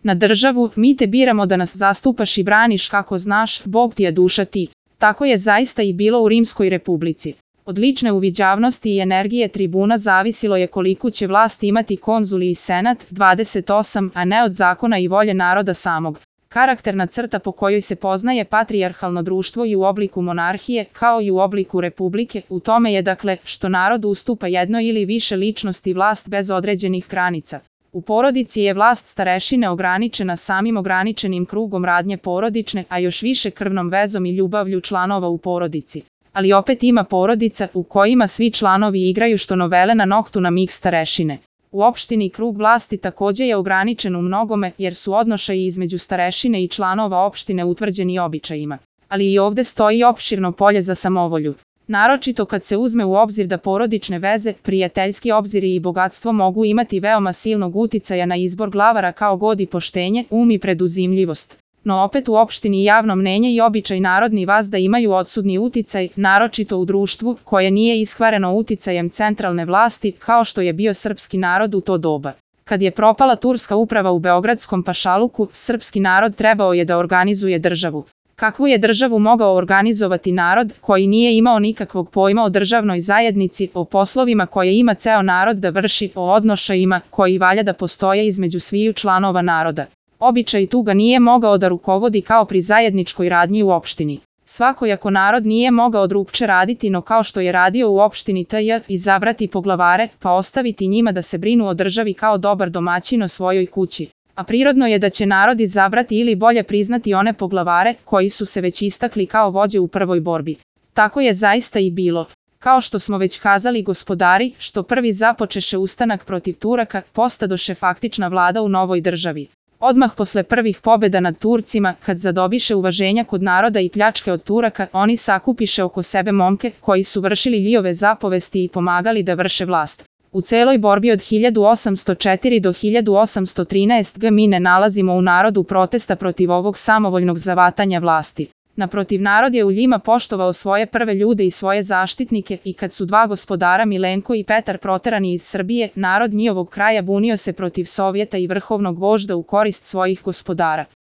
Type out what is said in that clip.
Na državu, mi te biramo da nas zastupaš i braniš kako znaš, Bog ti je duša ti. Tako je zaista i bilo u Rimskoj republici. Od lične uviđavnosti i energije tribuna zavisilo je koliku će vlast imati konzuli i senat, 28, a ne od zakona i volje naroda samog. Karakterna crta po kojoj se poznaje patrijarhalno društvo i u obliku monarhije, kao i u obliku republike, u tome je dakle što narod ustupa jedno ili više ličnosti vlast bez određenih granica. U porodici je vlast starešine ograničena samim ograničenim krugom radnje porodične, a još više krvnom vezom i ljubavlju članova u porodici. Ali opet ima porodica u kojima svi članovi igraju što novele na noktu na mig starešine. U opštini krug vlasti takođe je ograničen u mnogome jer su odnošaji između starešine i članova opštine utvrđeni običajima. Ali i ovde stoji opširno polje za samovolju. Naročito kad se uzme u obzir da porodične veze, prijateljski obziri i bogatstvo mogu imati veoma silnog uticaja na izbor glavara kao god i poštenje, i preduzimljivost. No opet u opštini javno mnenje i običaj narodni vazda imaju odsudni uticaj, naročito u društvu koje nije iskvareno uticajem centralne vlasti kao što je bio srpski narod u to doba. Kad je propala turska uprava u beogradskom pašaluku, srpski narod trebao je da organizuje državu. Kakvu je državu mogao organizovati narod koji nije imao nikakvog pojma o državnoj zajednici, o poslovima koje ima ceo narod da vrši, o odnošajima koji valja da postoje između sviju članova naroda. Običaj tu ga nije mogao da rukovodi kao pri zajedničkoj radnji u opštini. Svakojako narod nije mogao drugče raditi no kao što je radio u opštini TJ, izabrati poglavare, pa ostaviti njima da se brinu o državi kao dobar domaćin o svojoj kući. A prirodno je da će narod izabrati ili bolje priznati one poglavare koji su se već istakli kao vođe u prvoj borbi. Tako je zaista i bilo. Kao što smo već kazali gospodari, što prvi započeše ustanak protiv Turaka, postadoše faktična vlada u novoj državi. Odmah posle prvih pobjeda nad Turcima, kad zadobiše uvaženja kod naroda i pljačke od Turaka, oni sakupiše oko sebe momke koji su vršili njihove zapovesti i pomagali da vrše vlast. U celoj borbi od 1804 do 1813 mi ne nalazimo u narodu protesta protiv ovog samovoljnog zavatanja vlasti. Naprotiv, narod je u njima poštovao svoje prve ljude i svoje zaštitnike i kad su dva gospodara Milenko i Petar proterani iz Srbije, narod njihovog kraja bunio se protiv Sovjeta i vrhovnog vožda u korist svojih gospodara.